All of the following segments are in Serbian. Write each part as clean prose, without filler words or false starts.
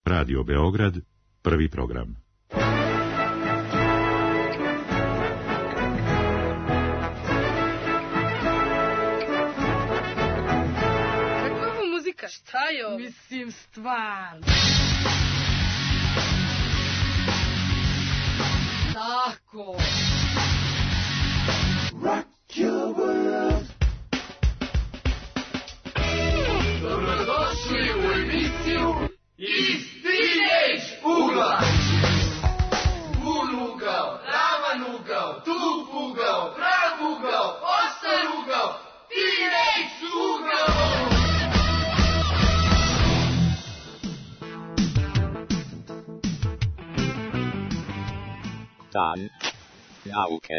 Radio Beograd, prvi program. Kakva je ovo muzika? Šta je ovo? Mislim, stvarno. Tako. Rock your world. Dobrodošli u emisiju Iz Teenage ugla. Bun ugao, ravan ugao, tup ugao, prav ugao, ostar ugao, Teenage ugao. Dan nauke.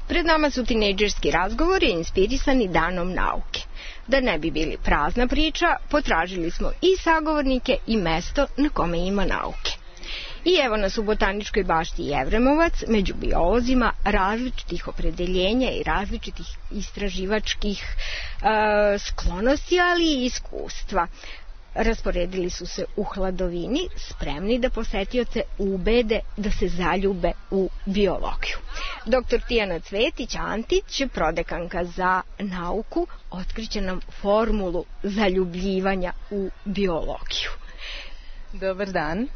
Pred nama su tinejdžerski razgovori inspirisani danom nauke. Da ne bi bili prazna priča, potražili smo i sagovornike i mesto na kome ima nauke. I evo nas u Botaničkoj bašti Jevremovac, među biolozima različitih opredeljenja i različitih istraživačkih sklonosti, ali i iskustva. Rasporedili su se u hladovini, spremni da posetioce ubede da se zaljube u biologiju. Dr. Tijana Cvetić-Antić, prodekanka za nauku, otkriće nam formulu zaljubljivanja u biologiju. Dobar dan.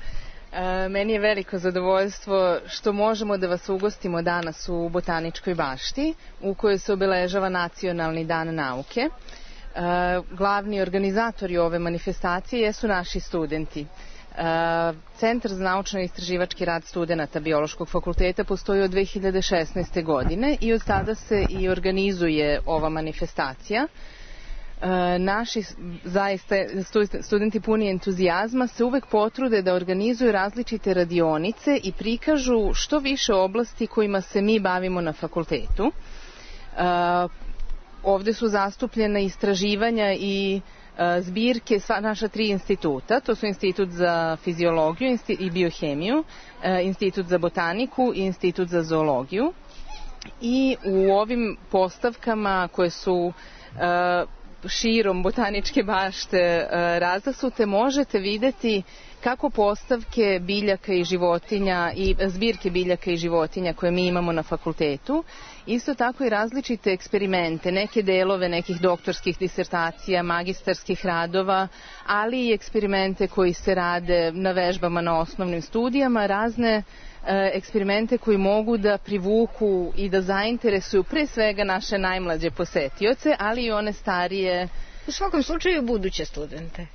Meni je veliko zadovoljstvo što možemo da vas ugostimo danas u Botaničkoj bašti, u kojoj se obeležava Nacionalni dan nauke. Glavni organizatori ove manifestacije jesu naši studenti. Centar za naučno-istraživački rad studenata Biološkog fakulteta postoji od 2016. godine i od tada se i organizuje ova manifestacija. Naši zaista studenti puni entuzijazma se uvek potrude da organizuju različite radionice i prikažu što više oblasti kojima se mi bavimo na fakultetu. Ovde su zastupljena istraživanja i zbirke sva naša 3 instituta, to su Institut za fiziologiju i biohemiju, Institut za botaniku i Institut za zoologiju. I u ovim postavkama koje su širom Botaničke bašte razasute možete videti kako postavke biljaka i životinja i zbirke biljaka i životinja koje mi imamo na fakultetu, isto tako i različite eksperimente, neke delove nekih doktorskih disertacija, magistarskih radova, ali i eksperimente koji se rade na vežbama na osnovnim studijama, razne eksperimente koji mogu da privuku i da zainteresuju pre svega naše najmlađe posetioce, ali i one starije. U svakom slučaju buduće studente.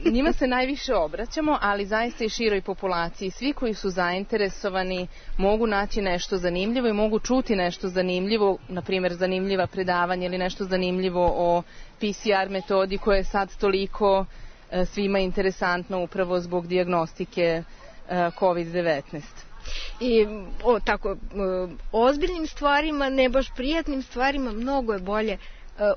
Njima se najviše obraćamo, ali zaista i široj populaciji. Svi koji su zainteresovani mogu naći nešto zanimljivo i mogu čuti nešto zanimljivo, na primjer zanimljiva predavanja ili nešto zanimljivo o PCR metodi koja je sad toliko svima interesantno upravo zbog dijagnostike COVID-19. I o tako ozbiljnim stvarima, ne baš prijatnim stvarima, mnogo je bolje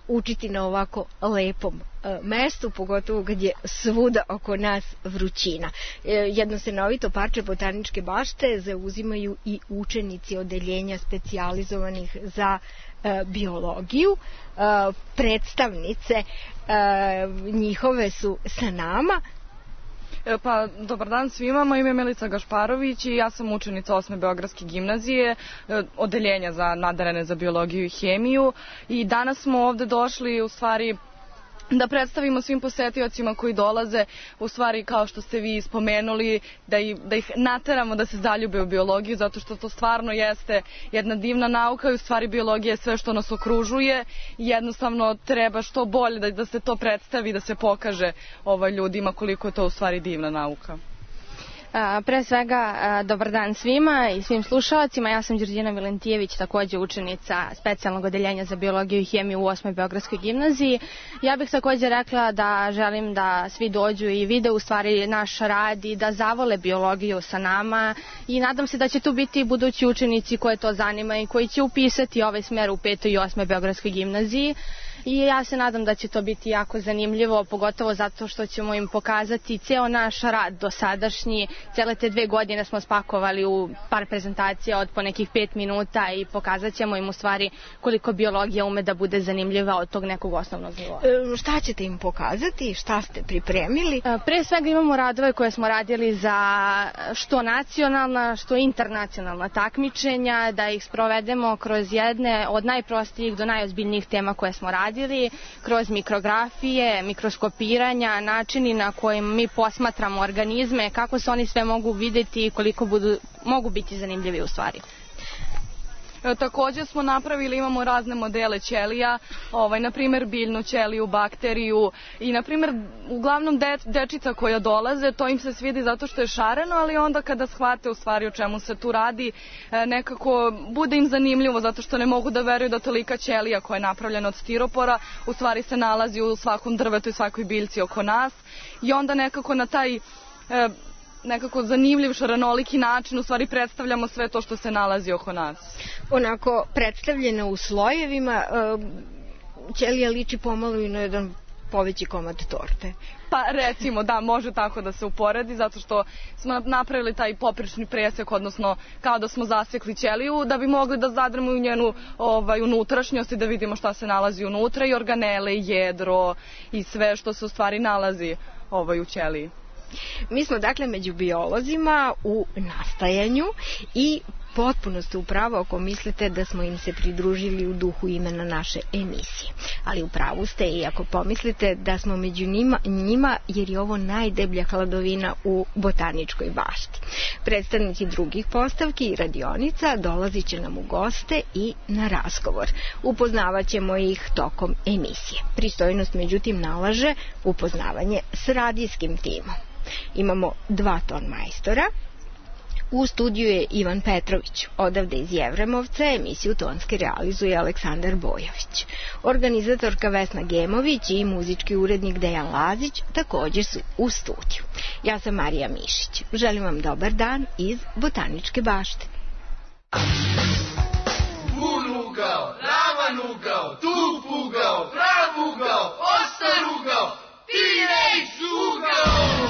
učiti na ovako lepom mestu, pogotovo kad je svuda oko nas vrućina. Jedno stanovito parče Botaničke bašte zauzimaju i učenici odeljenja specijalizovanih za biologiju. Predstavnice njihove su sa nama. Pa, dobar dan svima, moje ime je Milica Gašparović i ja sam učenica 8. Beogradske gimnazije, odeljenja za nadarene za biologiju i hemiju, i danas smo ovde došli u stvari da predstavimo svim posetiocima koji dolaze, u stvari kao što ste vi spomenuli, da ih nateramo da se zaljube u biologiju, zato što to stvarno jeste jedna divna nauka i u stvari biologija je sve što nas okružuje i jednostavno treba što bolje da se to predstavi, da se pokaže ljudima koliko je to u stvari divna nauka. Pre svega, dobar dan svima i svim slušalcima. Ja sam Đurđina Milentijević, takođe učenica specijalnog odeljenja za biologiju i hemiju u 8. Beogradskoj gimnaziji. Ja bih takođe rekla da želim da svi dođu i vide u stvari naš rad i da zavole biologiju sa nama i nadam se da će tu biti budući učenici koje to zanima i koji će upisati ovaj smer u 5. i 8. Beogradskoj gimnaziji. i ja se nadam da će to biti jako zanimljivo, pogotovo zato što ćemo im pokazati ceo naš rad dosadašnji. Cele te 2 godine smo spakovali u par prezentacija od po nekih 5 minuta i pokazat ćemo im u stvari koliko biologija ume da bude zanimljiva od tog nekog osnovnog nivoa. Šta ćete im pokazati? Šta ste pripremili? Pre svega imamo radove koje smo radili za što nacionalna, što internacionalna takmičenja, da ih sprovedemo kroz jedne od najprostijih do najozbiljnijih tema koje smo radili, kroz mikrografije, mikroskopiranja, načini na kojim mi posmatramo organizme, kako se oni sve mogu videti i koliko mogu biti zanimljivi u stvari. Također smo napravili, imamo razne modele ćelija, na primjer biljnu ćeliju, bakteriju i na primjer uglavnom dečica koja dolaze, to im se svidi zato što je šareno, ali onda kada shvate u stvari o čemu se tu radi, nekako bude im zanimljivo zato što ne mogu da veruju da tolika ćelija koja je napravljena od stiropora u stvari se nalazi u svakom drvetu i svakoj biljci oko nas i onda nekako na taj nekako zanimljiv, šarenoliki način u stvari predstavljamo sve to što se nalazi oko nas. Onako predstavljeno u slojevima, ćelija liči pomalo i na jedan poveći komad torte. Pa recimo da, može tako da se uporedi, zato što smo napravili taj poprečni presek, odnosno kao da smo zasekli ćeliju da bi mogli da zadremo u njenu unutrašnjost i da vidimo šta se nalazi unutra i organele, i jedro i sve što se u stvari nalazi u ćeliji. Mi smo dakle među biolozima u nastajanju i potpuno ste u pravu ako mislite da smo im se pridružili u duhu imena naše emisije. Ali u pravu ste i ako pomislite da smo među njima jer je ovo najdeblja hladovina u botaničkoj bašti. Predstavnici drugih postavki i radionica dolazit će nam u goste i na razgovor. Upoznavat ćemo ih tokom emisije. Pristojnost međutim nalaže upoznavanje s radijskim timom. Imamo 2 ton majstora. U studiju je Ivan Petrović, odavde iz Jevremovca, emisiju tonski realizuje Aleksandar Bojović. Organizatorka Vesna Gemović i muzički urednik Dejan Lazić također su u studiju. Ja sam Marija Mišić. Želim vam dobar dan iz Botaničke bašte. Vun ugao, ravan ugao, tup ugao, prav ugao, ostar ugao, teenage ugao!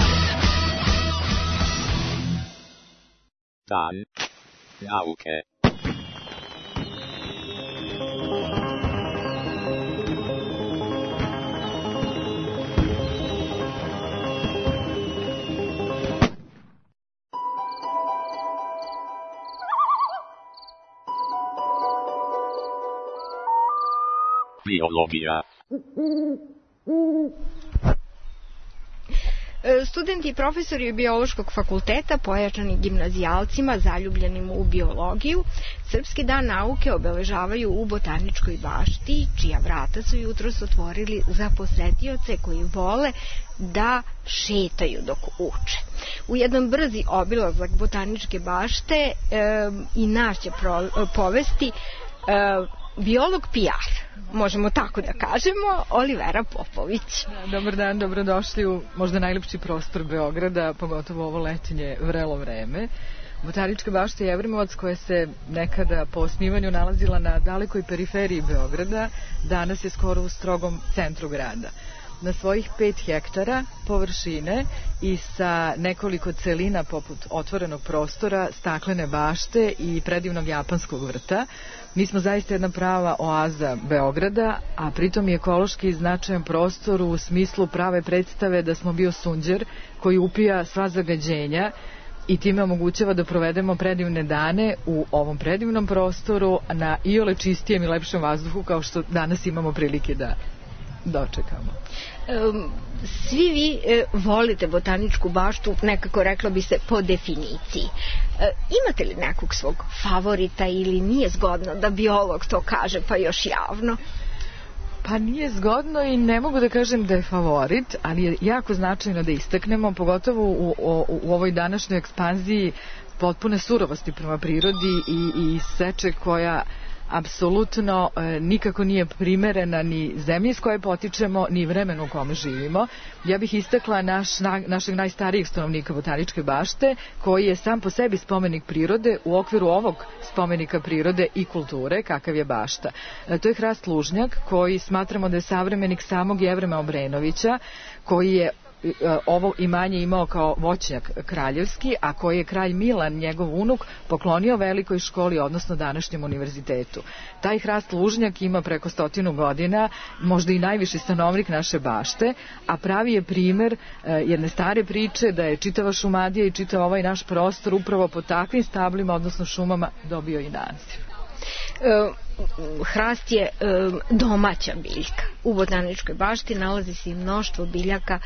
Dan nauke. Biologija. Studenti i profesori Biološkog fakulteta, pojačani gimnazijalcima zaljubljenim u biologiju, Srpski dan nauke obeležavaju u Botaničkoj bašti, čija vrata su jutros otvorili za posetioce koji vole da šetaju dok uče. U jedan brzi obilazak Botaničke bašte i nas će povesti biolog PR, možemo tako da kažemo, Olivera Popović. Dobar dan, dobrodošli u možda najlepši prostor Beograda, pogotovo ovo letinje vrelo vreme. Botanička bašta Jevremovac, koja se nekada po osnivanju nalazila na dalekoj periferiji Beograda, danas je skoro u strogom centru grada. Na svojih 5 hektara površine i sa nekoliko celina poput otvorenog prostora, staklene bašte i predivnog japanskog vrta, mi smo zaista jedna prava oaza Beograda, a pritom i ekološki značajan prostor u smislu prave predstave da smo bio sunđer koji upija sva zagađenja i time omogućava da provedemo predivne dane u ovom predivnom prostoru na iole čistijem i lepšem vazduhu kao što danas imamo prilike da dočekamo. Svi vi volite Botaničku baštu, nekako reklo bi se po definiciji. Imate li nekog svog favorita ili nije zgodno da biolog to kaže pa još javno? Pa nije zgodno i ne mogu da kažem da je favorit, ali je jako značajno da istaknemo, pogotovo u ovoj današnjoj ekspanziji potpune surovosti prema prirodi i seče koja apsolutno nikako nije primerena ni zemlji s koje potičemo, ni vremenu u kome živimo. Ja bih istakla našeg najstarijeg stanovnika Botaničke bašte, koji je sam po sebi spomenik prirode u okviru ovog spomenika prirode i kulture, kakav je bašta. To je hrast lužnjak, koji smatramo da je savremenik samog Jevrema Obrenovića, koji je ovo imanje imao kao voćnjak kraljevski, a koji je kralj Milan, njegov unuk, poklonio velikoj školi, odnosno današnjem univerzitetu. Taj hrast lužnjak ima preko 100 godina, možda i najviši stanovnik naše bašte, a pravi je primer jedne stare priče da je čitava Šumadija i čitav ovaj naš prostor upravo po takvim stablima, odnosno šumama, dobio i naziv. Hrast je domaća biljka. U Botaničkoj bašti nalazi se i mnoštvo biljaka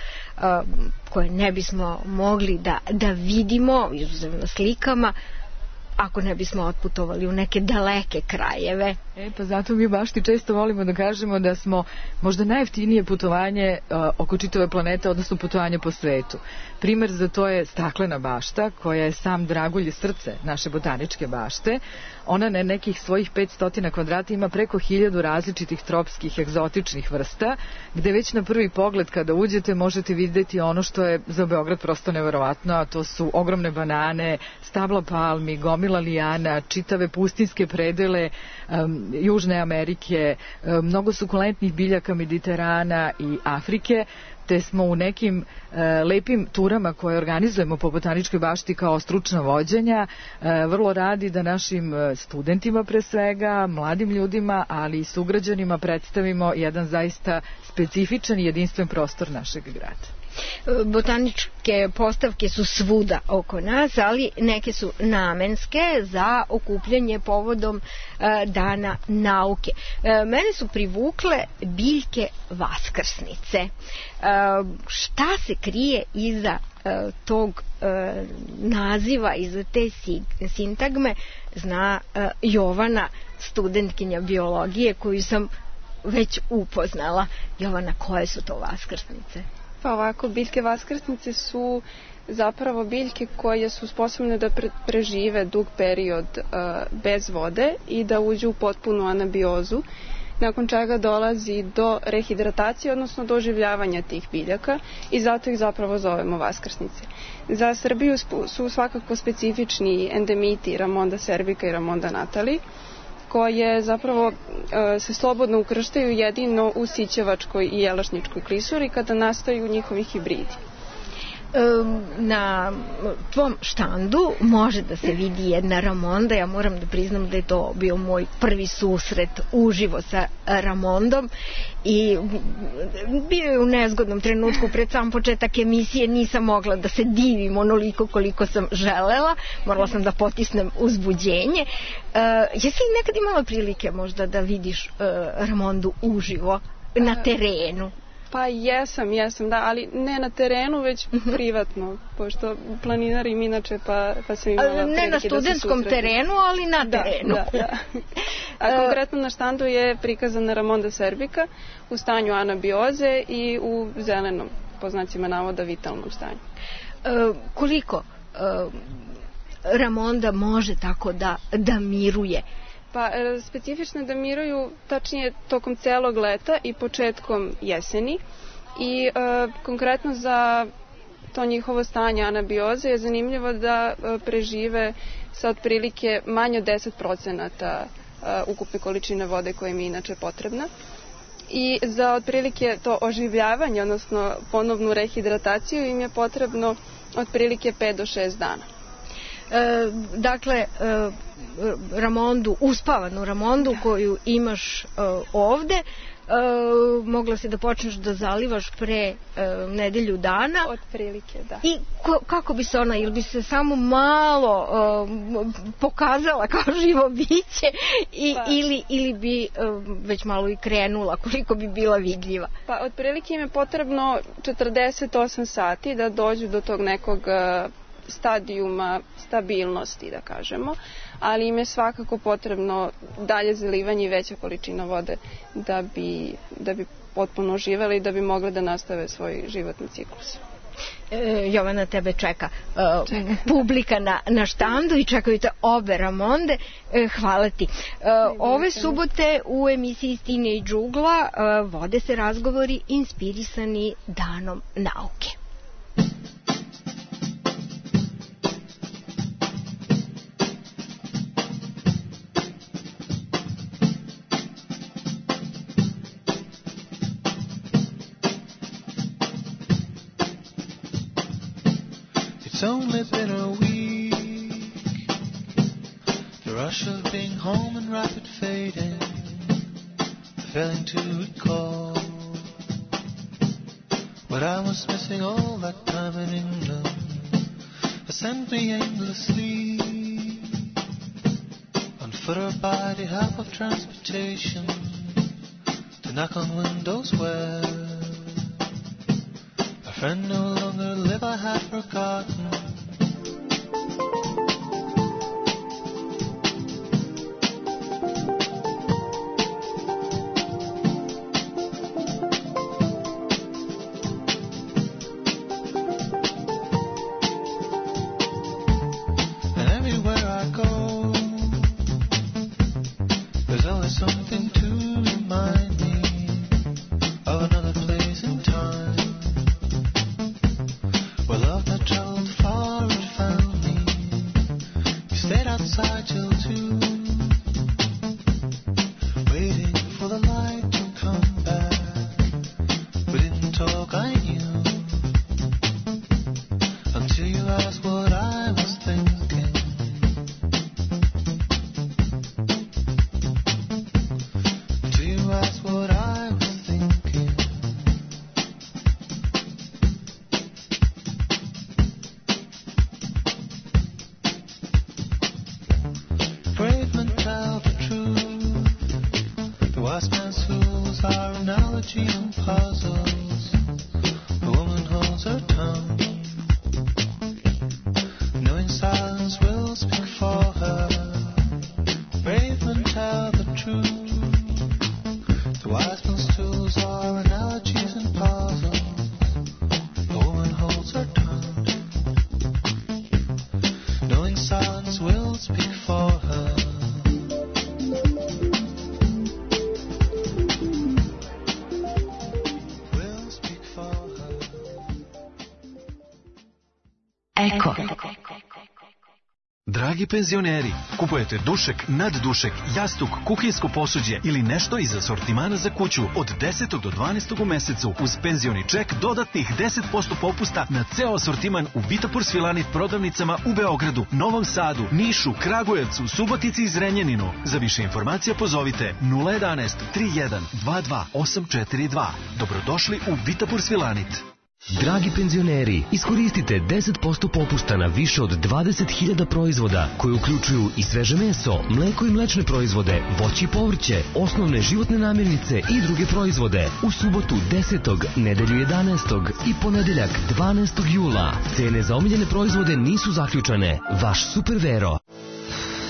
koje ne bismo mogli da vidimo, izuzev na slikama, ako ne bismo otputovali u neke daleke krajeve. Pa zato mi u bašti često volimo da kažemo da smo možda najjeftinije putovanje oko čitave planete, odnosno putovanje po svetu. Primer za to je staklena bašta, koja je sam dragulje srce naše Botaničke bašte. Ona na nekih svojih 500 kvadrata ima preko 1000 različitih tropskih egzotičnih vrsta, gde već na prvi pogled kada uđete možete vidjeti ono što je za Beograd prosto neverovatno, a to su ogromne banane, stabla palmi, gomila lijana, čitave pustinske predele Južne Amerike, mnogo sukulentnih biljaka Mediterana i Afrike, te smo u nekim lepim turama koje organizujemo po Botaničkoj bašti kao stručna vođenja vrlo radi da našim studentima pre svega, mladim ljudima, ali i sugrađanima predstavimo jedan zaista specifičan i jedinstven prostor našeg grada. Botaničke postavke su svuda oko nas, ali neke su namenske za okupljanje povodom Dana nauke. Mene su privukle biljke vaskrsnice. Šta se krije iza tog naziva, iza te sintagme, zna Jovana, studentkinja biologije koju sam već upoznala. Jovana, koje su to vaskrsnice? Pa ovako, biljke vaskrsnice su zapravo biljke koje su sposobne da prežive dug period bez vode i da uđu u potpunu anabiozu, nakon čega dolazi do rehidratacije, odnosno do oživljavanja tih biljaka, i zato ih zapravo zovemo vaskrsnice. Za Srbiju su svakako specifični endemiti Ramonda cervica i Ramonda natali, koje zapravo se slobodno ukrštaju jedino u Sićevačkoj i Jelašničkoj klisuri kada nastaju njihovi hibridi. Na tvom štandu može da se vidi jedna Ramonda. Ja moram da priznam da je to bio moj prvi susret uživo sa Ramondom i bio je u nezgodnom trenutku pred sam početak emisije, nisam mogla da se divim onoliko koliko sam želela, morala sam da potisnem uzbuđenje. Jesi li nekad imala prilike možda da vidiš Ramondu uživo na terenu? Pa jesam, da, ali ne na terenu, već privatno, pošto planinarim inače, pa sam imala prilike da se susretim. Ne na studentskom terenu, ali na terenu. Da. A konkretno na štandu je prikazana Ramonda cervica u stanju anabioze i u zelenom, po znacima navoda, vitalnom stanju. Koliko Ramonda može tako da miruje? Pa specifično da miruju tačnije tokom celog leta i početkom jeseni i konkretno za to njihovo stanje anabioze je zanimljivo da prežive sa otprilike manje od 10% ukupne količine vode koja im je inače potrebna. I za otprilike to oživljavanje, odnosno ponovnu rehidrataciju, im je potrebno otprilike 5 do 6 dana. Dakle, Ramondu, uspavanu Ramondu koju imaš ovde, mogla si da počneš da zalivaš pre nedelju dana. Otprilike, da. I kako bi se ona, ili bi se samo malo pokazala kao živo biće ili bi već malo i krenula, koliko bi bila vidljiva? Pa otprilike im je potrebno 48 sati da dođu do tog nekog stadijuma stabilnosti, da kažemo, ali im je svakako potrebno dalje zalivanje i veća količina vode da bi potpuno živeli i da bi mogle da nastave svoj životni ciklus. Jovana, tebe čeka publika na štandu i čekaju te obe Ramonde. Hvala ti. Ove subote u emisiji Stine i Džugla vode se razgovori inspirisani Danom nauke. It's only been a week, the rush of being home and rapid fading, failing to recall what I was missing all that time in England. It sent me aimlessly on foot or by the help of transportation to knock on windows where a friend no longer lived. I had forgotten. And everywhere I go, there's always something to remind me of another place and time. Love that traveled far and found me. We stayed outside till 2, waiting for the light to come back. We didn't talk, I knew, until you asked what I was thinking. Until you asked what I was thinking. Brave men tell the truth. The wise man's fools are analogies and puzzles. The woman holds her tongue, knowing silence will speak for her. Brave men tell the truth. The wise man's tools are analogies and puzzles. The woman holds her tongue, knowing silence will speak for her. Will speak for her. Eko. Dragi penzioneri, kupujete dušek, naddušek, jastuk, kuhinjsko posuđe ili nešto iz asortimana za kuću od 10. do 12. u mesecu uz penzioni ček dodatnih 10% popusta na ceo asortiman u Vitapur Svilanit prodavnicama u Beogradu, Novom Sadu, Nišu, Kragujevcu, Subotici i Zrenjaninu. Za više informacija pozovite 011 31 22 842. Dobrodošli u Vitapur Svilanit. Dragi penzioneri, iskoristite 10% popusta na više od 20.000 proizvoda koji uključuju i sveže meso, mleko i mlečne proizvode, voće i povrće, osnovne životne namirnice i druge proizvode. U subotu 10., nedelju 11. i ponedeljak 12. jula. Cene za omiljene proizvode nisu zaključane. Vaš Super Vero.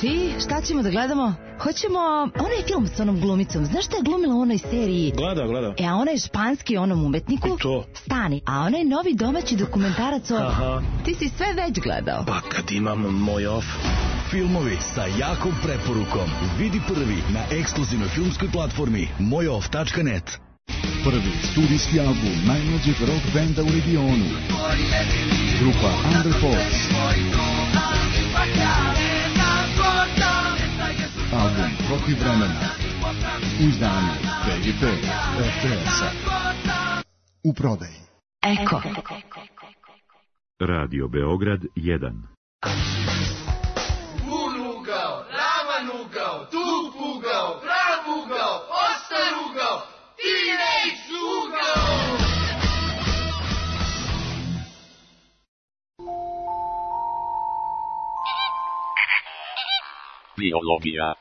I šta ćemo da gledamo? Hoćemo onaj film s onom glumicom. Znaš šta je glumila u onoj seriji? Gleda. A onaj španski onom umetniku? I to? Stani, a onaj novi domaći dokumentarac o... Aha. Ti si sve već gledao. Pa kad imam moj off. Filmovi sa jakom preporukom. Vidi prvi na ekskluzivnoj filmskoj platformi mojoff.net. Prvi studijski album najmlađeg rock benda u regionu. Grupa Underforce. Album Protiv vremena. U izdanju BGP RTS-a. U prodaji. Eko. Radio Beograd 1. Unugao, ravanugao, tupugao, pravugao, ostarugao, teenage ugao. Biologija.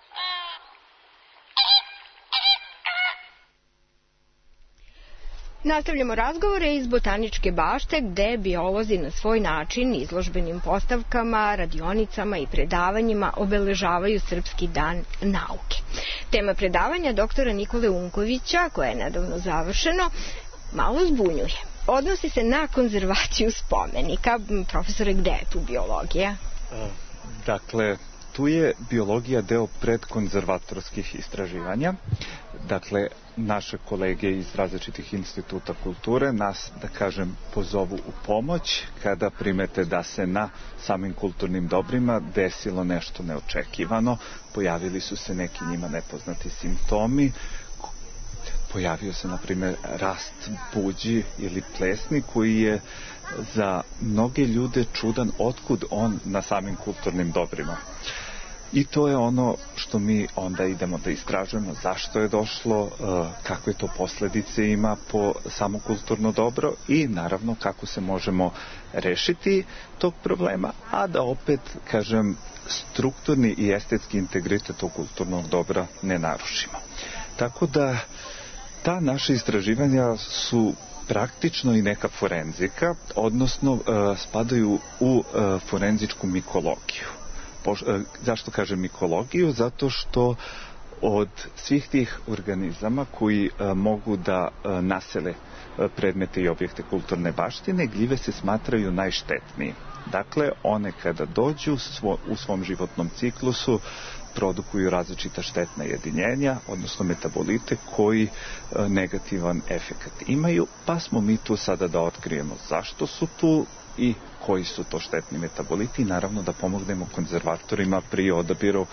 Nastavljamo razgovore iz Botaničke bašte gde biolozi na svoj način izložbenim postavkama, radionicama i predavanjima obeležavaju Srpski dan nauke. Tema predavanja doktora Nikole Unkovića, koja je nedavno završeno, malo zbunjuje. odnosi se na konzervaciju spomenika. Profesore, gde je tu biologija? Dakle, tu je biologija deo predkonzervatorskih istraživanja. Dakle, naše kolege iz različitih instituta kulture nas, da kažem, pozovu u pomoć kada primete da se na samim kulturnim dobrima desilo nešto neočekivano, pojavili su se neki njima nepoznati simptomi, pojavio se, na primjer, rast buđi ili plesni koji je za mnoge ljude čudan otkud on na samim kulturnim dobrima. I to je ono što mi onda idemo da istražujemo, zašto je došlo, kakve to posljedice ima po samo kulturno dobro i naravno kako se možemo rešiti tog problema, a da opet, kažem, strukturni i estetski integritet tog kulturnog dobra ne narušimo. Tako da ta naša istraživanja su praktično i neka forenzika, odnosno spadaju u forenzičku mikologiju. Zašto kažem mikologiju? Zato što od svih tih organizama koji mogu da nasele predmete i objekte kulturne baštine, gljive se smatraju najštetniji. Dakle, one kada dođu u svom životnom ciklusu produkuju različita štetna jedinjenja, odnosno metabolite koji negativan efekat imaju, pa smo mi tu sada da otkrijemo zašto su tu i koji su to štetni metaboliti i naravno da pomognemo konzervatorima pri odabiru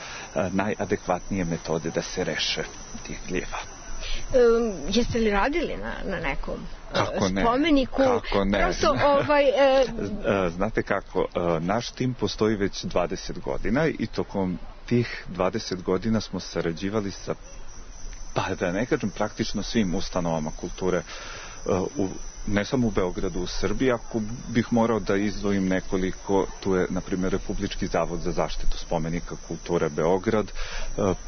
najadekvatnije metode da se tih gljiva. Jeste li radili na nekom spomeniku? Kako ne? Prosto, znate kako, naš tim postoji već 20 godina i tokom tih 20 godina smo sarađivali sa, pa da ne kažem, praktično svim ustanovama kulture ne samo u Beogradu, u Srbiji. Ako bih morao da izdvojim nekoliko, tu je, na primjer, Republički zavod za zaštitu spomenika kulture Beograd,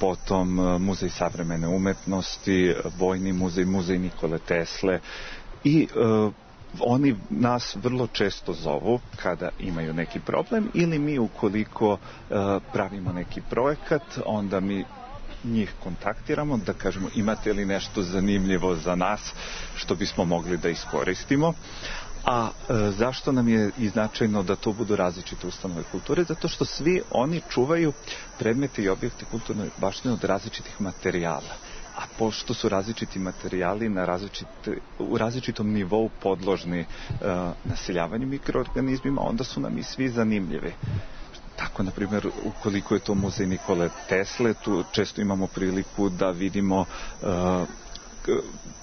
potom Muzej savremene umetnosti, Vojni muzej, Muzej Nikole Tesle i oni nas vrlo često zovu kada imaju neki problem ili mi ukoliko pravimo neki projekat, onda mi njih kontaktiramo da kažemo imate li nešto zanimljivo za nas što bismo mogli da iskoristimo. A zašto nam je i značajno da to budu različite ustanove kulture? Zato što svi oni čuvaju predmete i objekte kulturne baštine od različitih materijala. A pošto su različiti materijali u različitom nivou podložni naseljavanju mikroorganizmima, onda su nam i svi zanimljivi. Tako, na primjer, ukoliko je to muzej Nikole Tesle, tu često imamo priliku da vidimo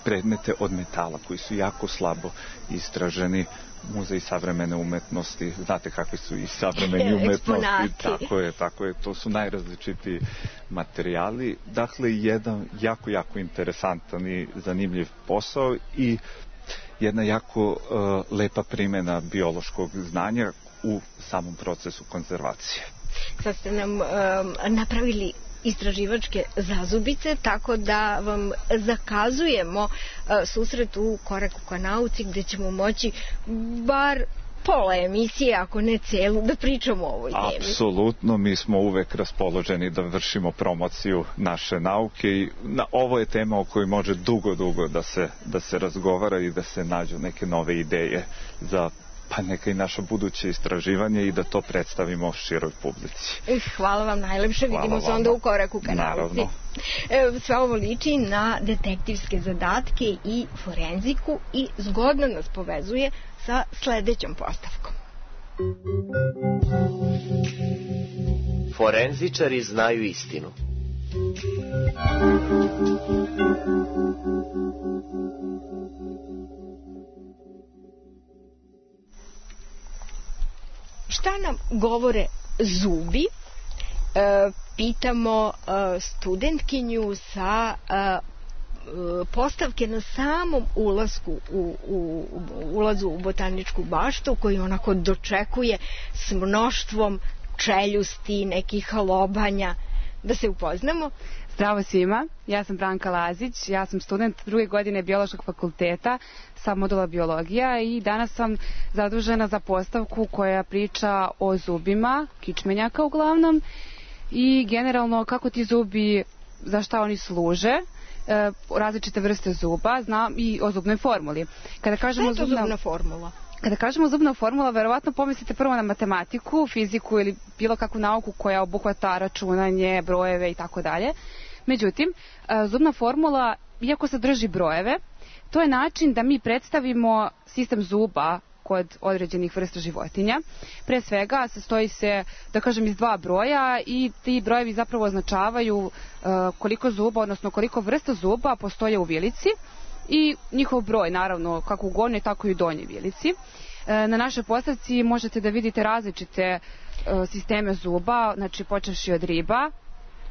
predmete od metala koji su jako slabo istraženi. Muzej savremene umetnosti, znate kakvi su i savremeni umetnosti, tako je, to su najrazličitiji materijali. Dakle, jedan jako interesantan i zanimljiv posao i jedna jako lepa primjena biološkog znanja u samom procesu konzervacije. Sad ste nam napravili istraživačke zazubice, tako da vam zakazujemo susret u Koraku ka nauci, gde ćemo moći bar pola emisije, ako ne celu, da pričamo o ovoj temi. Apsolutno, mi smo uvek raspoloženi da vršimo promociju naše nauke i ovo je tema o kojoj može dugo da se razgovara i da se nađu neke nove ideje za pa neka i naša buduće istraživanje i da to predstavimo široj publici. Hvala vam najlepše, vidimo se onda u Koraku ka nauci. Sve ovo liči na detektivske zadatke i forenziku i zgodno nas povezuje sa sledećom postavkom. Forenzičari znaju istinu. Šta nam govore zubi? Pitamo studentkinju sa postavke na samom ulazu u botaničku baštu, koji onako dočekuje s mnoštvom čeljusti, nekih lobanja. Da se upoznamo. Zdravo svima, ja sam Branka Lazić, ja sam student 2. godine Biološkog fakulteta sa modula biologija i danas sam zadužena za postavku koja priča o zubima, kičmenjaka uglavnom, i generalno kako ti zubi, za šta oni služe, različite vrste zuba, znam i o zubnoj formuli. Kada kažemo šta je to zubna formula? Kada kažemo zubna formula, verovatno pomislite prvo na matematiku, fiziku ili bilo kakvu nauku koja obuhvata računanje, brojeve i tako dalje. Međutim, zubna formula, iako sadrži brojeve, to je način da mi predstavimo sistem zuba kod određenih vrsta životinja. Pre svega sastoji se, da kažem, iz 2 broja i ti brojevi zapravo označavaju koliko zuba, odnosno koliko vrsta zuba postoje u vilici i njihov broj, naravno, kako u gornjoj, tako i u donjoj vilici. Na našoj postavci možete da vidite različite sisteme zuba, znači počevši od riba,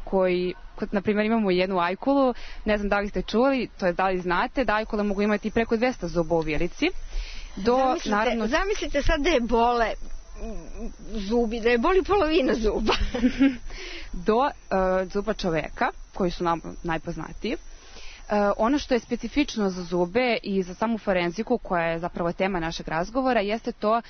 koji, na primjer, imamo jednu ajkulu, ne znam da li ste čuli, to je da li znate, da ajkule mogu imati preko 200 zuba u vilici. Zamislite sad da je bole zubi, da je boli polovina zuba. Do zuba čoveka, koji su nam najpoznatiji. Ono što je specifično za zube i za samu forenziku, koja je zapravo tema našeg razgovora, jeste to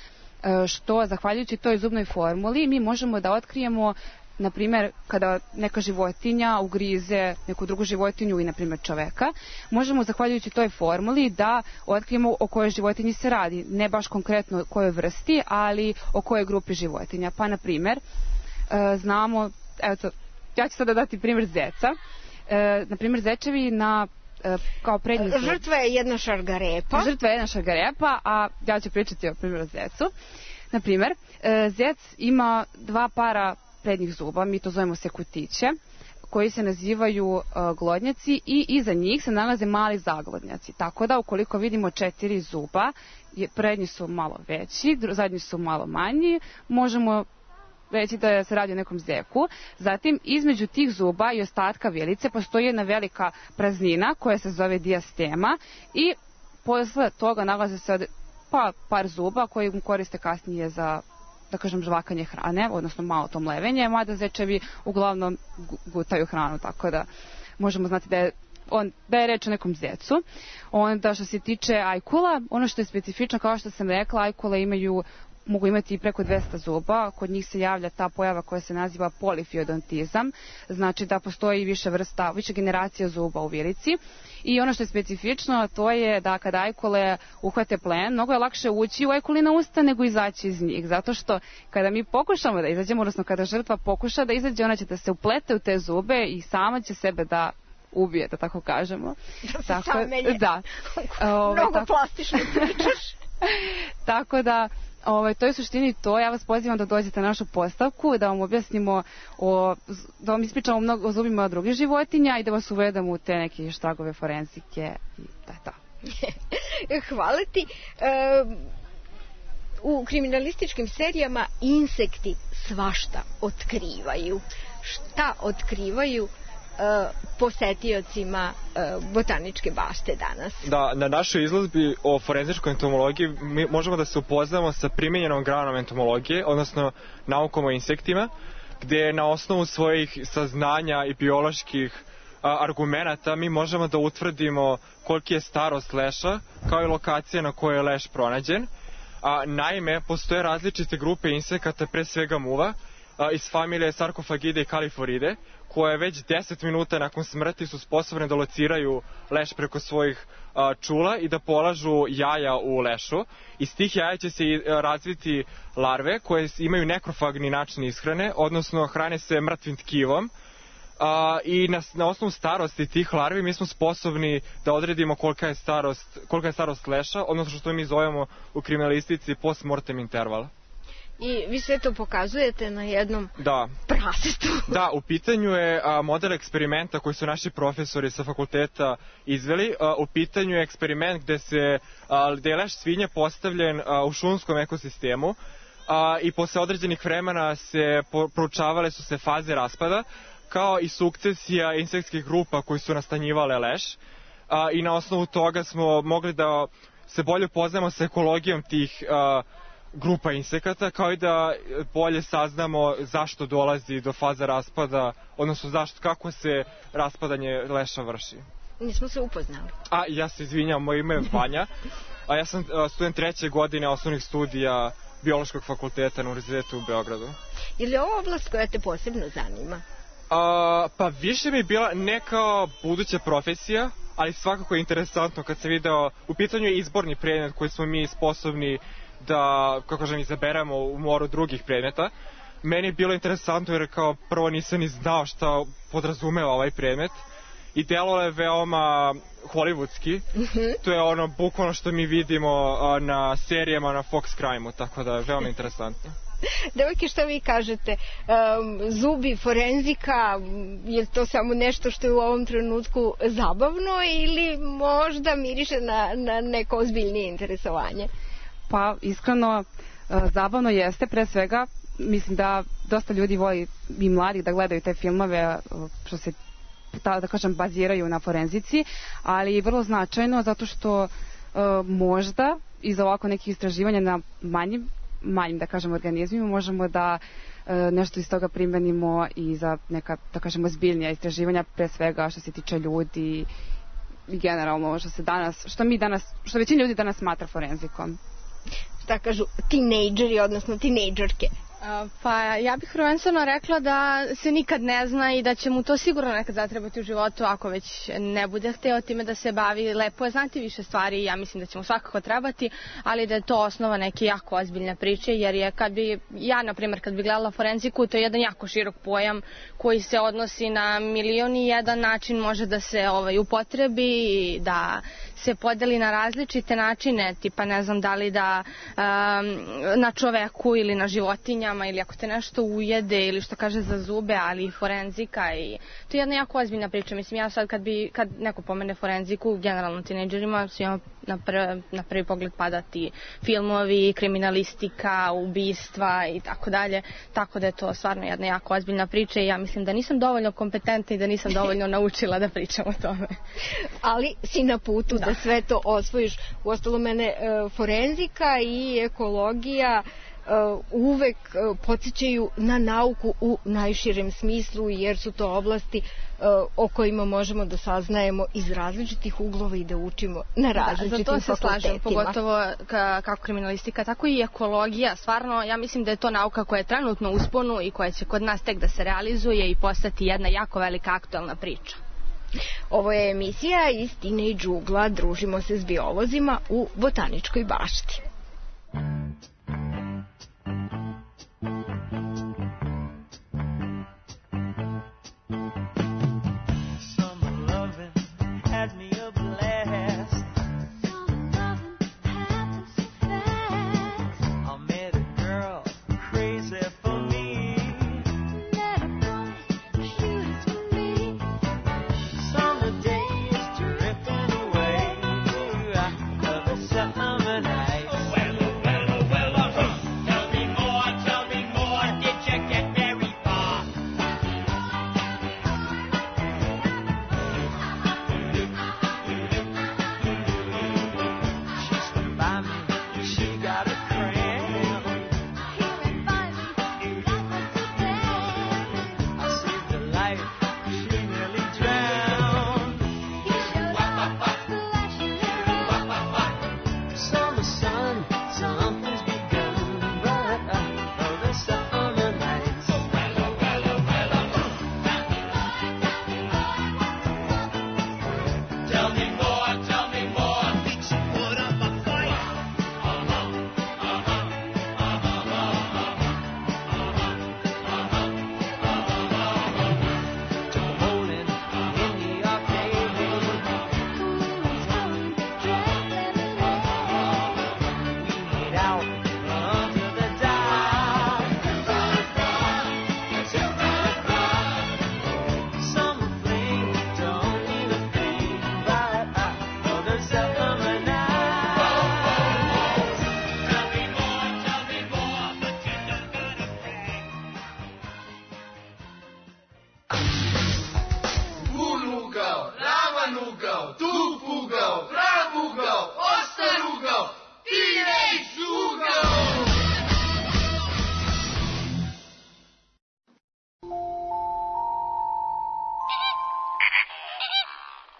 što, zahvaljujući toj zubnoj formuli, mi možemo da otkrijemo, na primjer, kada neka životinja ugrize neku drugu životinju i, na primjer, čoveka, možemo, zahvaljujući toj formuli, da otkrijemo o kojoj životinji se radi. Ne baš konkretno o kojoj vrsti, ali o kojoj grupi životinja. Pa, na primjer, znamo, eto, ja ću sada dati primjer zeca. Na primjer, zečevi kao prednji zub. Žrtva je jedna šargarepa. Žrtva je jedna šargarepa, a ja ću pričati o primjeru zecu. Na primjer, zec ima 2 para prednjih zuba, mi to zovemo sekutiće, koji se nazivaju glodnjaci i iza njih se nalaze mali zaglodnjaci. Tako da, ukoliko vidimo 4 zuba, prednji su malo veći, zadnji su malo manji, možemo reći da se radi o nekom zeku. Zatim, između tih zuba i ostatka vilice postoji jedna velika praznina koja se zove dijastema i posle toga nalaze se par zuba koji koriste kasnije za, da kažem, žvakanje hrane, odnosno malo to mlevenje, mada zečevi uglavnom gutaju hranu, tako da možemo znati da je reč o nekom zecu. Onda, što se tiče ajkula, ono što je specifično, kao što sam rekla, ajkule mogu imati i preko 200 zuba. Kod njih se javlja ta pojava koja se naziva polifiodontizam, znači da postoji više generacija zuba u vilici. I ono što je specifično, to je da kada ajkule uhvate plen, mnogo je lakše ući u ajkulina usta nego izaći iz njih, zato što kada mi pokušamo da izađemo, odnosno kada žrtva pokuša da izađe, ona će da se uplete u te zube i sama će sebe da ubije, da tako kažemo. Da se sam menje. Da. Mnogo plastično pričaš. Tako da, to je u suštini to. Ja vas pozivam da dođete na našu postavku, da vam objasnimo, da vam ispričamo mnogo o zubima drugih životinja i da vas uvedemo u te neke štragove forenzike i to. Hvala ti. U kriminalističkim serijama insekti svašta otkrivaju. Šta otkrivaju posetiocima botaničke bašte danas? Da, na našoj izložbi o forenzičkoj entomologiji mi možemo da se upoznamo sa primenjenom granom entomologije, odnosno naukom o insektima, gde na osnovu svojih saznanja i bioloških argumenata mi možemo da utvrdimo koliki je starost leša, kao i lokacija na kojoj je leš pronađen. Naime, postoje različite grupe insekata, pre svega muva, iz familije Sarkofagide i Kaliforide, koje već 10 minuta nakon smrti su sposobne da lociraju leš preko svojih čula i da polažu jaja u lešu. Iz tih jaja će se razviti larve koje imaju nekrofagni način ishrane, odnosno hrane se mrtvim tkivom. I na osnovu starosti tih larvi mi smo sposobni da odredimo kolika je starost leša, odnosno što mi zovemo u kriminalistici post-mortem interval. I vi sve to pokazujete na jednom prasetu. Da, u pitanju je model eksperimenta koji su naši profesori sa fakulteta izveli. U pitanju je eksperiment gde je leš svinje postavljen u šumskom ekosistemu i posle određenih vremena proučavale su se faze raspada, kao i sukcesija insektskih grupa koji su nastanjivale leš. I na osnovu toga smo mogli da se bolje upoznamo sa ekologijom tih grupa insekata, kao i da bolje saznamo zašto dolazi do faze raspada, odnosno kako se raspadanje leša vrši. Nismo se upoznali. Ja se izvinjam, moje ime je Vanja, a ja sam student 3. godine osnovnih studija Biološkog fakulteta na Univerzitetu u Beogradu. Je li ovo oblast koja te posebno zanima? Pa više mi je bila neka buduća profesija, ali svakako je interesantno kad se video, u pitanju je izborni predmet koji smo mi sposobni da, kako kažem, izaberemo u moru drugih predmeta. Meni je bilo interesantno jer kao prvo nisam ni znao šta podrazumeva ovaj predmet i delo je veoma hollywoodski. To je ono bukvalno što mi vidimo na serijama na Fox Crime-u, tako da je veoma interesantno. Devojke, šta vi kažete? Zubi, forenzika, je to samo nešto što je u ovom trenutku zabavno ili možda miriše na neko ozbiljnije interesovanje? Pa, iskreno, zabavno jeste, pre svega, mislim da dosta ljudi voli i mladih da gledaju te filmove što se, da kažem, baziraju na forenzici, ali vrlo značajno zato što možda iza ovako nekih istraživanja na manjim, da kažem, organizmima možemo da nešto iz toga primenimo i za neka, da kažemo, zbiljnija istraživanja, pre svega što se tiče ljudi i generalno što većina ljudi danas smatra forenzikom. Šta kažu tinejdžeri, odnosno tinejdžerke? Pa ja bih prvenstveno rekla da se nikad ne zna i da će mu to sigurno nekad zatrebati u životu ako već ne bude hteo time da se bavi. Lepo je znati više stvari i ja mislim da će mu svakako trebati, ali da je to osnova neke jako ozbiljne priče, jer je na primjer, kad bi gledala forenziku, to je jedan jako širok pojam koji se odnosi na milion i jedan način može da se upotrebi i da se podeli na različite načine, tipa ne znam da li da na čoveku ili na životinjama ili ako te nešto ujede ili što kaže za zube, ali i forenzika i to je jedna jako ozbiljna priča. Mislim, ja sad kad neko pomene forenziku, generalno tinejdžerima, svima na prvi pogled padati filmovi, kriminalistika, ubistva i tako dalje, tako da je to stvarno jedna jako ozbiljna priča i ja mislim da nisam dovoljno kompetentna i da nisam dovoljno naučila da pričam o tome. Ali si na putu da sve to osvojiš. Uostalom, mene forenzika i ekologija uvek podsjećaju na nauku u najširem smislu, jer su to oblasti o kojima možemo da saznajemo iz različitih uglova i da učimo na različitim fakultetima. Za to se slažem, pogotovo kako kriminalistika, tako i ekologija. Stvarno, ja mislim da je to nauka koja je trenutno u usponu i koja će kod nas tek da se realizuje i postati jedna jako velika aktuelna priča. Ovo je emisija iz Teenage ugla. Družimo se s biolozima u Botaničkoj bašti.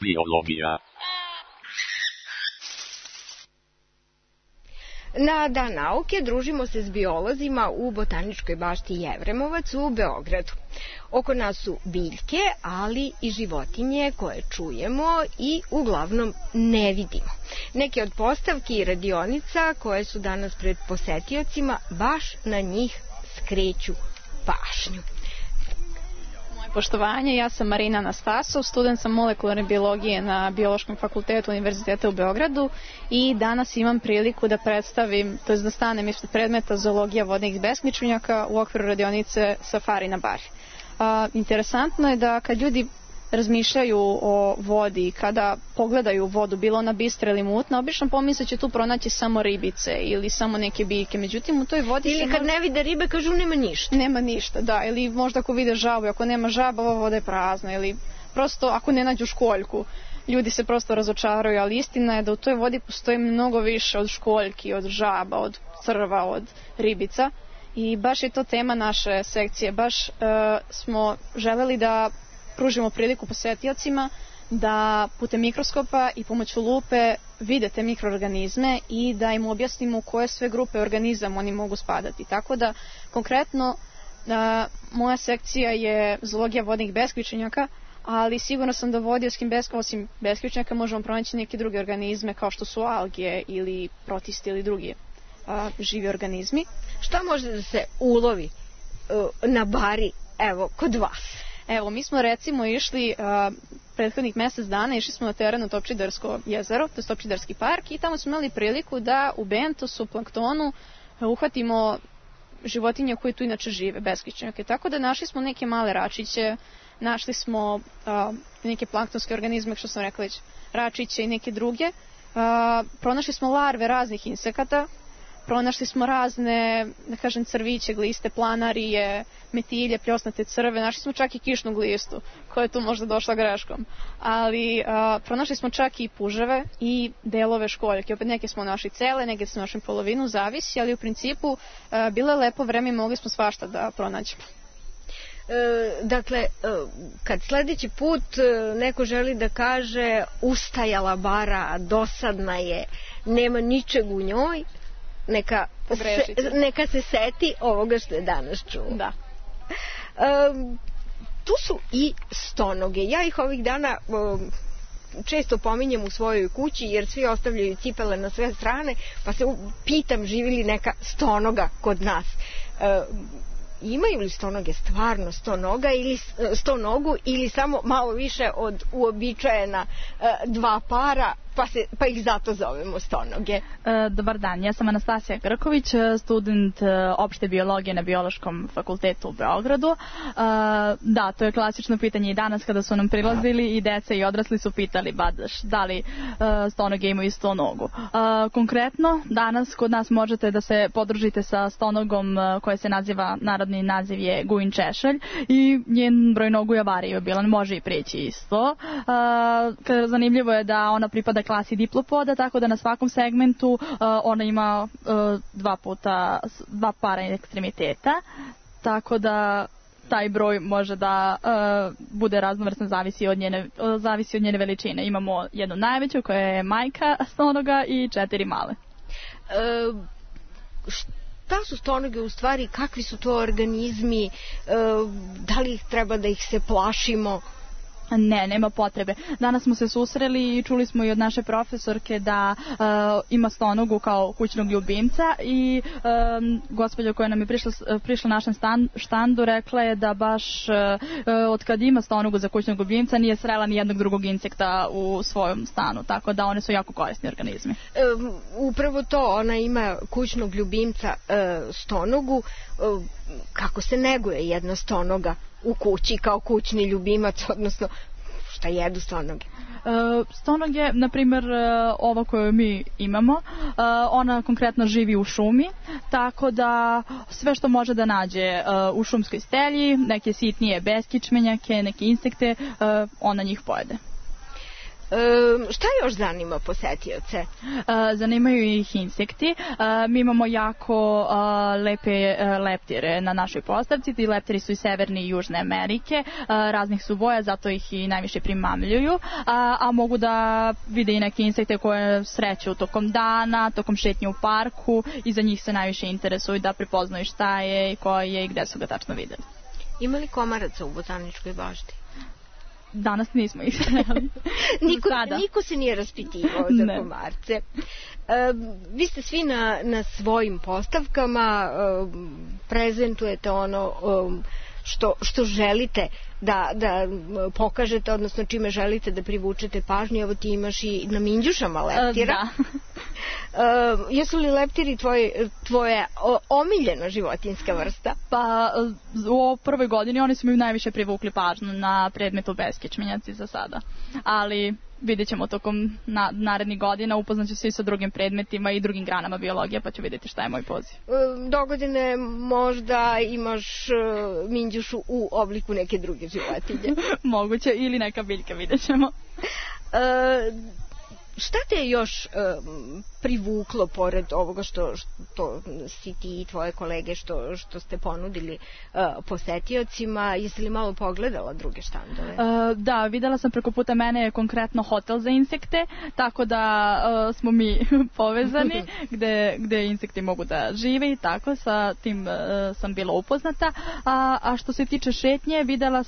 Biologija. Na Dan nauke družimo se s biolozima u Botaničkoj bašti Jevremovac u Beogradu. Oko nas su biljke, ali i životinje koje čujemo i uglavnom ne vidimo. Neke od postavki i radionica koje su danas pred posetiocima baš na njih skreću pažnju. Poštovanje, ja sam Marina Anastasov, student sam molekularne biologije na Biološkom fakultetu Univerziteta u Beogradu i danas imam priliku da predstavim, to je da stanem ispred predmeta zoologija vodnih besmičnjaka u okviru radionice Safari na Bari. Interesantno je da kad ljudi razmišljaju o vodi, kada pogledaju vodu, bilo ona bistra ili mutna, obično pomisle će tu pronaći samo ribice ili samo neke biljke. Međutim, u toj vodi ili kad ne vide ribe, kažu nema ništa. Nema ništa, da. Ili možda ako vide žabu, ako nema žaba, ova voda je prazna. Ili prosto ako ne nađu školjku, ljudi se prosto razočaraju, ali istina je da u toj vodi postoji mnogo više od školjki, od žaba, od crva, od ribica. I baš je to tema naše sekcije. Baš smo želeli da pružimo priliku posetiocima da putem mikroskopa i pomoću lupe vide te mikroorganizme i da im objasnimo u koje sve grupe organizama oni mogu spadati. Tako da, konkretno, moja sekcija je zoologija vodnih besključenjaka, ali sigurno sam da osim besključenjaka možemo pronaći neke druge organizme kao što su alge ili protisti ili drugi živi organizmi. Šta može da se ulovi na Bari, evo, kod vas? Evo, mi smo recimo išli prethodnih mjesec dana, išli smo na terenu Topčidersko jezero, to je Topčiderski park, i tamo smo imali priliku da u bentosu, planktonu, uhvatimo životinje koje tu inače žive, besključnjake. Tako da našli smo neke male račiće, našli smo neke planktonske organizme, što sam rekla već, račiće i neke druge. Pronašli smo larve raznih insekata, pronašli smo razne, da kažem, crviće, gliste, planarije, metilje, pljosnate crve, našli smo čak i kišnu glistu, koja je tu možda došla greškom. Ali pronašli smo čak i puževe i delove školjke. Opet neke smo našli cele, neke smo našli polovinu, zavisi, ali u principu bilo je lepo vreme i mogli smo svašta da pronađemo. Dakle, kad sledeći put neko želi da kaže ustajala Bara, dosadna je, nema ničeg u njoj, neka se seti ovoga što je danas čuo. Da. Tu su i stonoge. Ja ih ovih dana često pominjem u svojoj kući jer svi ostavljaju cipele na sve strane, pa se pitam živi li neka stonoga kod nas. Imaju li stonoge stvarno stonogu ili samo malo više od uobičajena dva para, pa ih zato zovemo stonoge? Dobar dan, ja sam Anastasija Grković, student opšte biologije na Biološkom fakultetu u Beogradu. Da, to je klasično pitanje i danas kada su nam prilazili i deca i odrasli su pitali da li stonoge imaju stonogu. Konkretno, danas kod nas možete da se podružite sa stonogom koja se naziva, narodni naziv je Gujin češelj, i njen broj nogu je variabilan, može i preći isto. Zanimljivo je da ona pripada klasi diplopoda, tako da na svakom segmentu ona ima dva para ekstremiteta, tako da taj broj može da bude raznovrstan, zavisi od njene veličine. Imamo jednu najveću koja je majka stonoga i 4 male. Šta su stonoge u stvari, kakvi su to organizmi, da li treba da ih se plašimo? Ne, nema potrebe. Danas smo se susreli i čuli smo i od naše profesorke da ima stonogu kao kućnog ljubimca i gospođa koja nam je prišla našem štandu rekla je da baš od kad ima stonogu za kućnog ljubimca nije srela ni jednog drugog insekta u svojom stanu, tako da one su jako korisni organizmi. Upravo to, ona ima kućnog ljubimca stonogu. Kako se neguje jedna stonoga u kući kao kućni ljubimac, odnosno šta jedu stonoge? Stonoge, na primjer ova koju mi imamo, ona konkretno živi u šumi, tako da sve što može da nađe u šumskoj stelji, neke sitnije beskičmenjake, neke insekte, ona njih pojede. Šta još zanima posetioce? Zanimaju ih insekti. Mi imamo jako lepe leptire na našoj postavci. Ti leptiri su iz Severne i Južne Amerike. Raznih su boja, zato ih i najviše primamljuju. A mogu da vide i neke insekte koje sreću tokom dana, tokom šetnje u parku i za njih se najviše interesuju da prepoznaju šta je i ko je i gde su ga tačno videli. Ima li komaraca u botaničkoj bašti? Danas nismo ih sreli. Niko se nije raspitivao za komarce. Vi ste svi na svojim postavkama, prezentujete ono što želite da pokažete, odnosno čime želite da privučete pažnju. Evo ti imaš i na minđušama leptira. Jesu li leptiri tvoja omiljena životinjska vrsta? Pa u prvoj godini oni su mi najviše privukli pažnju na predmetu beskičmenjaci za sada. Ali vidjet ćemo tokom narednih godina, upoznaću se i sa drugim predmetima i drugim granama biologije, pa ću vidjeti šta je moj poziv. Dogodine možda imaš minđušu u obliku neke druge životinje. Moguće, ili neka biljka, vidjet ćemo. Šta te je još privuklo pored ovoga što si ti i tvoje kolege što ste ponudili posetiocima? Jesi li malo pogledala druge štandove? Da, videla sam preko puta mene konkretno hotel za insekte, tako da smo mi povezani gde insekti mogu da žive i tako, sa tim sam bila upoznata. A što se tiče šetnje, videla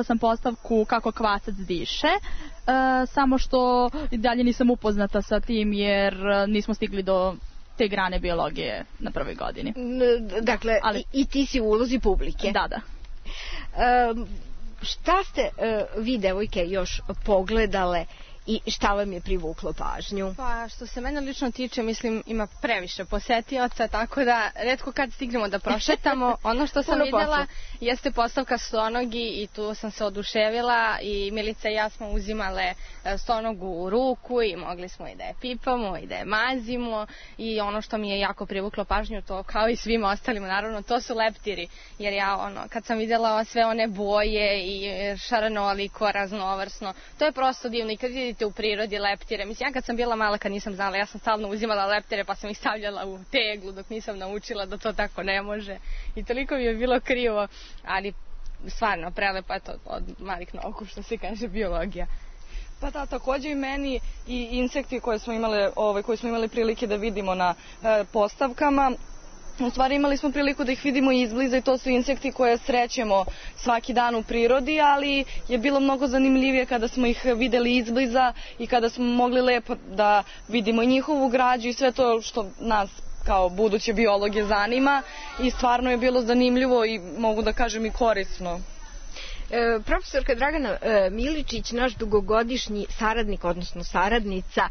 sam postavku kako kvasac diše, samo što i dalje nisam upoznata sa tim jer nismo stigli do te grane biologije na prvoj godini. Dakle, i ti si u ulozi publike. Da. Šta ste vi, devojke, još pogledale i šta vam je privuklo pažnju? Pa što se mene lično tiče, mislim, ima previše posetioca, tako da retko kad stignemo da prošetamo. Ono što sam vidjela jeste postavka stonogi i tu sam se oduševila i Milica i ja smo uzimale stonogu u ruku i mogli smo i da je pipamo i da je mazimo i ono što mi je jako privuklo pažnju, to kao i svima ostalima, naravno, to su leptiri, jer ja kad sam vidjela sve one boje i šaranoliko, raznovrsno, to je prosto divno. I kad vidite u prirodi leptire, mislim, ja kad sam bila mala, kad nisam znala, ja sam stalno uzimala leptire pa sam ih stavljala u teglu dok nisam naučila da to tako ne može i toliko mi je bilo krivo, ali stvarno prelepo je to od malih nogu, što se kaže, biologija. Pa da, takođe i meni i insekti koje smo imali prilike da vidimo na postavkama. U stvari imali smo priliku da ih vidimo izbliza i to su insekti koje srećemo svaki dan u prirodi, ali je bilo mnogo zanimljivije kada smo ih videli izbliza i kada smo mogli lepo da vidimo njihovu građu i sve to što nas kao buduće biologe zanima i stvarno je bilo zanimljivo i mogu da kažem i korisno. Profesorka Dragana Miličić, naš dugogodišnji saradnik, odnosno saradnica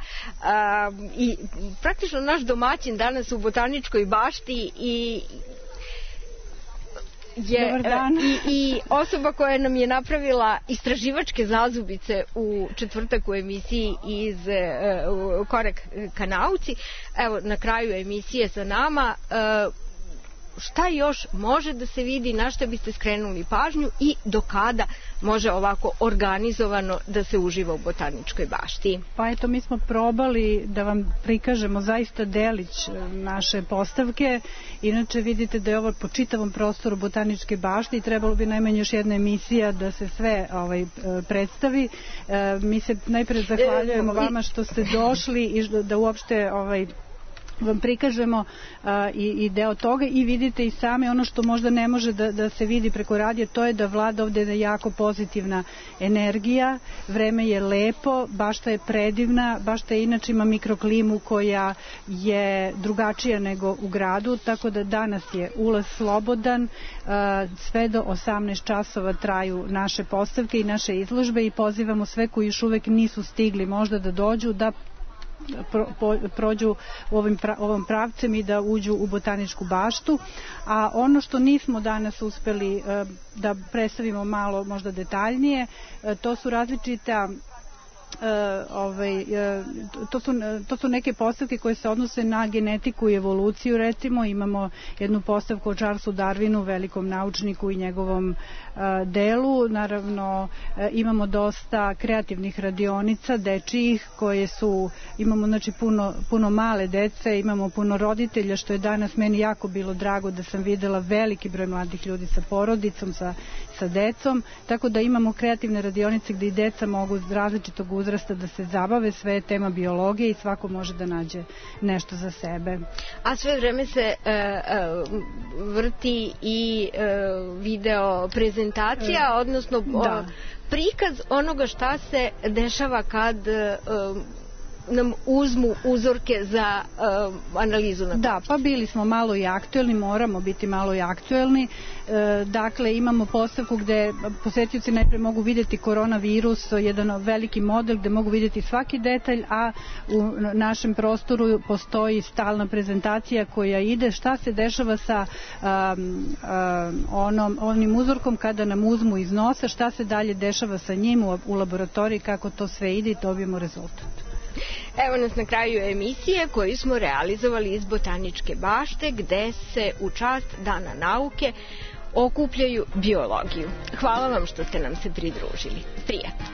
i praktično naš domaćin danas u botaničkoj bašti i osoba koja nam je napravila istraživačke zazubice u četvrtak u emisiji iz Korak ka nauci. Evo, na kraju emisije sa nama, šta još može da se vidi, na šta biste skrenuli pažnju i do kada može ovako organizovano da se uživa u botaničkoj bašti? Pa eto, mi smo probali da vam prikažemo zaista delić naše postavke. Inače vidite da je ovo po čitavom prostoru botaničke bašte i trebalo bi najmanje još jedna emisija da se sve predstavi. Mi se najpre zahvaljujemo vama što ste došli i da uopšte vam prikažemo i deo toga i vidite i sami ono što možda ne može da se vidi preko radija, to je da vlada ovde jako pozitivna energija, vreme je lepo, bašta je predivna, bašta je inače ima mikroklimu koja je drugačija nego u gradu, tako da danas je ulaz slobodan, sve do 18 časova traju naše postavke i naše izložbe i pozivamo sve koji još uvek nisu stigli možda da dođu, da prođu ovom pravcem i da uđu u botaničku baštu. A ono što nismo danas uspeli da predstavimo malo možda detaljnije, to su različita to su neke postavke koje se odnose na genetiku i evoluciju. Recimo imamo jednu postavku o Charlesu Darwinu, velikom naučniku i njegovom delu. Naravno imamo dosta kreativnih radionica dečijih koje su, imamo znači puno male dece, imamo puno roditelja, što je danas meni jako bilo drago da sam videla veliki broj mladih ljudi sa porodicom, sa decom, tako da imamo kreativne radionice gde i deca mogu iz različitog uzrasta da se zabave, sve je tema biologije i svako može da nađe nešto za sebe. A sve vreme se vrti i video prezentacija, odnosno prikaz onoga šta se dešava kad nam uzmu uzorke za analizu. Da, pa bili smo malo i aktuelni, moramo biti malo i aktuelni. Dakle, imamo postavku gde posetioci najpre mogu vidjeti koronavirus, jedan veliki model gde mogu vidjeti svaki detalj, a u našem prostoru postoji stalna prezentacija koja ide šta se dešava sa onim uzorkom kada nam uzmu iz nosa, šta se dalje dešava sa njim u laboratoriji, kako to sve ide i dobijemo rezultat. Evo nas na kraju emisije koju smo realizovali iz Botaničke bašte gde se u čast Dana nauke okupljaju biologiju. Hvala vam što ste nam se pridružili. Prijatno!